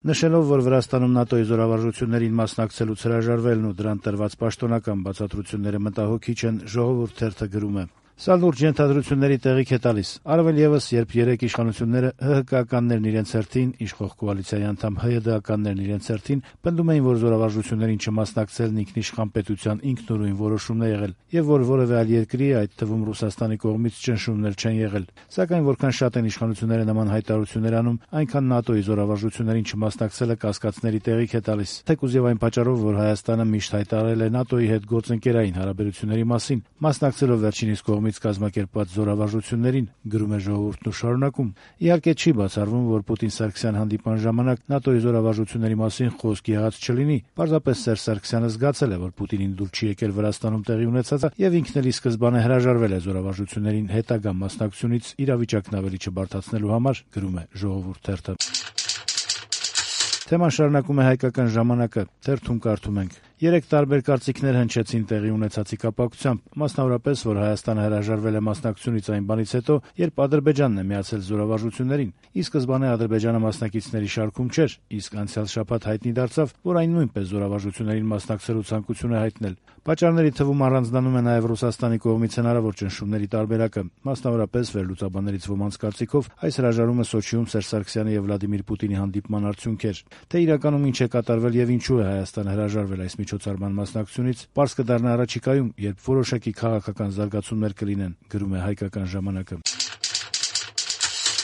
Նշելով, որ Վրաստանում ՆԱՏՕ-ի զորավարժություններին մասնակցելուց հրաժարվելն ու դրան տրված պաշտոնական բացատրությունները մտահոգիչ են, «Ժողովուրդ» թերթը գրում է. «Սա լուրջ ենթադրությունների տեղիք է տալիս, առավել ևս, երբ երեք իշխանությունները ՀՀԿ-ականներն իրենց հերթին, իշխող կոալիցիայի անդամ ՀՅԴ-ականներն իրենց հերթին պնդում էին, որ զորավարժություններին չմասնակցելն ինքնիշխան պետության ինքնուրույն որոշումն է եղել, եւ որ որեւէ այլ երկրի, այդ թվում Ռուսաստանի կողմից ճնշումներ չեն եղել։ Սակայն որքան շատ են իշխանությունները նման հայտարարություններ անում, այնքան ՆԱՏՕ-ի զորավարժություններին չմասնակցելը կասկածների տեղիք է տալիս, թեկուզ եւ այն պատճառով, որ Հայաստանը միշտ հայտարարել է ՆԱՏՕ-ի հետ գործընկերային հարաբերությունների մասին, մասնակցելով վերջինիս կողմից կազմակերպված զորավարժություններին», գրում է «Ժողովուրդն» ու շարունակում. «Իհարկե չի բացառվում, որ Պուտին-Սարգսյան հանդիպման ժամանակ ՆԱՏՕ-ի զորավարժությունների մասին խոսք եղած չլինի, պարզապես Սերժ Սարգսյանը զգացել է, որ Պուտինին դուր չի եկել Վրաստանում տեղի ունեցածը եւ ինքն էլ ի սկզբանե հրաժարվել է զորավարժություններին հետագա մասնակցությունից իրավիճակն ավելի չբարդացնելու համար», գրում է «Ժողովուրդ» թերթը։ Թեման շարունակում է «Հայկական ժամանակ»-ը, թերթում կարդում ենք. «Երեք տարբեր կարծիքներ հնչեցին տեղի ունեցածի կապակցությամբ, մասնավորապես, որ Հայաստանը հրաժարվել է մասնակցությունից այն բանից հետո, երբ Ադրբեջանն է միացել զորավարժություններին։ Ի սկզբանե Ադրբեջանը մասնակիցների շարքում չէր, իսկ անցյալ շաբաթ հայտնի դարձավ, որ այն նույնպես զորավարժություններին մասնակցելու ցանկություն է հայտնել։ Պատճառների թվում առանձնանում է նաև Ռուսաստանի կողմից հնարավոր ճնշումների տարբերակը, մասնավորապես վերլուծաբաններից ոմանց կարծիքով այս հրաժարումը Սոչիում Սերժ Սարգսյանի եւ Վլադիմիր Պուտինի հանդիպման արդյունք էր։ Թե իրականում ինչ է կատարվել եւ ինչու է Հայաստանը հրաժարվել այս միջոցառման մասնակցությունից, պարզ կդառնա առաջիկայում, երբ որոշակի քաղաքական զարգացումներ կլինեն», գրում է «Հայկական ժամանակ»-ը։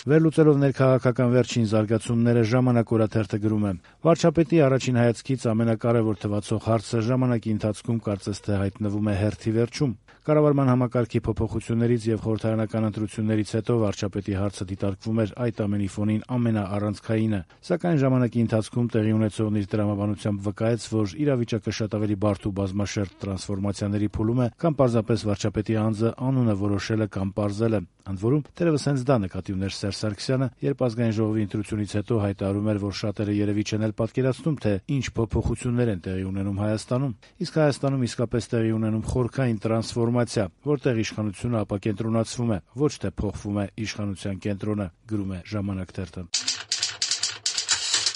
Վերլուծելով ներքաղաքական վերջին զարգացումները «Ժամանակ» օրաթերթը գրում է. «Վարչապետի առաջին հայացքից ամենակարևոր թվացող հարցը ժամանակի ընթացքում կարծես թե հայտնվում է հերթի վերջում։ Կառավարման համակարգի փոփոխություններից եւ խորհրդարանական ընտրություններից հետո վարչապետի հարցը դիտարկվում էր այդ ամենի ֆոնին ամենաառանցքայինը, սակայն ժամանակի ընթացքում տեղի ունեցողն իր տրամաբանությամբ վկայեց, որ իրավիճակը շատ ավելի բարդ ու բազմաշերտ տրանսֆորմացիաների փուլում է, կամ պարզապես վարչապետի անձը անունը որոշելը կամ պարզելը։ Ընդ որում, թերևս հենց դա նկատի ուներ Սերժ Սարգսյանը, երբ Ազգային ժողովի ընտրությունից հետո հայտարարում էր, որ շատերը երևի չեն էլ պատկերացնում, թե ինչ փոփոխություններ են տեղի ունենում Հայաստանում։ Իսկ Հայաստանում իսկապես տեղի ունենում խորքային տրանսֆորմացիա, որտեղ իշխանությունը ապակենտրոնացվում է, ոչ թե փոխվում է իշխանության կենտրոնը», գրում է «Ժամանակ» թերթը։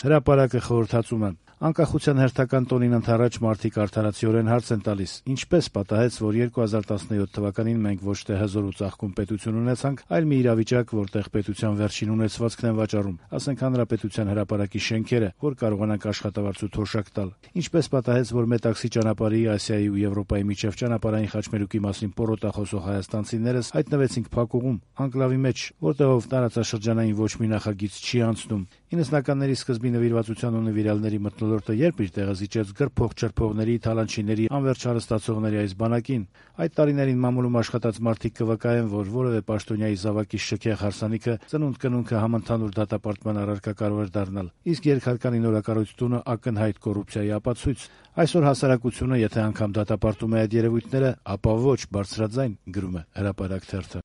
Հրապարակը խորհրդածում է. «Անկախության հերթական տոնին ընդառաջ մարդիկ արդարացիորեն հարց են տալիս. ինչպես պատահեց, որ 2017 թվականին մենք ոչ թե հզոր ու ծաղկուն պետություն ունեցանք, այլ մի իրավիճակ, որտեղ պետության վերջին ունեցվածքն են վաճառում, ասենք հանրապետության հրապարակի շենքերը, որ կարողանանք աշխատավարձ ու թոշակ տալ. ինչպես պատահեց, որ Մետաքսի ճանապարհի, Ասիայի ու Եվրոպայի միջև ճանապարհային խաչմերուկի մասին պոռոտախոսող հայաստանցիներս հայտնվեցինք փակուղում, անկլավի մեջ, որտեղով տարածաշրջանային ոչ մի նախագիծ չի անցնում։ 90-ականների սկզբի նվիրվածության ու նվիրալների մթնոլորտը երբ իր տեղը զիջեց գրփող-չրփողների, թալանչիների, անվերջ հարստացողների այս բանակին։ Այդ տարիներին մամուլում աշխատած մարդիկ կվկայեն, որ որևէ պաշտոնյայի զավակի շքեղ հարսանիքը ծնունդ-կնունքը համընդհանուր դատապարտման առարկա կարող էր դառնալ, իսկ երկհարկանի նորակառույց տունը ակնհայտ կոռուպցիայի ապացույց։ Այսօր հասարակությունը, եթե անգամ դատապարտում է այդ երևույթները, ապա ոչ բարձրաձայն», գրում է «Հրապարակ» թերթը։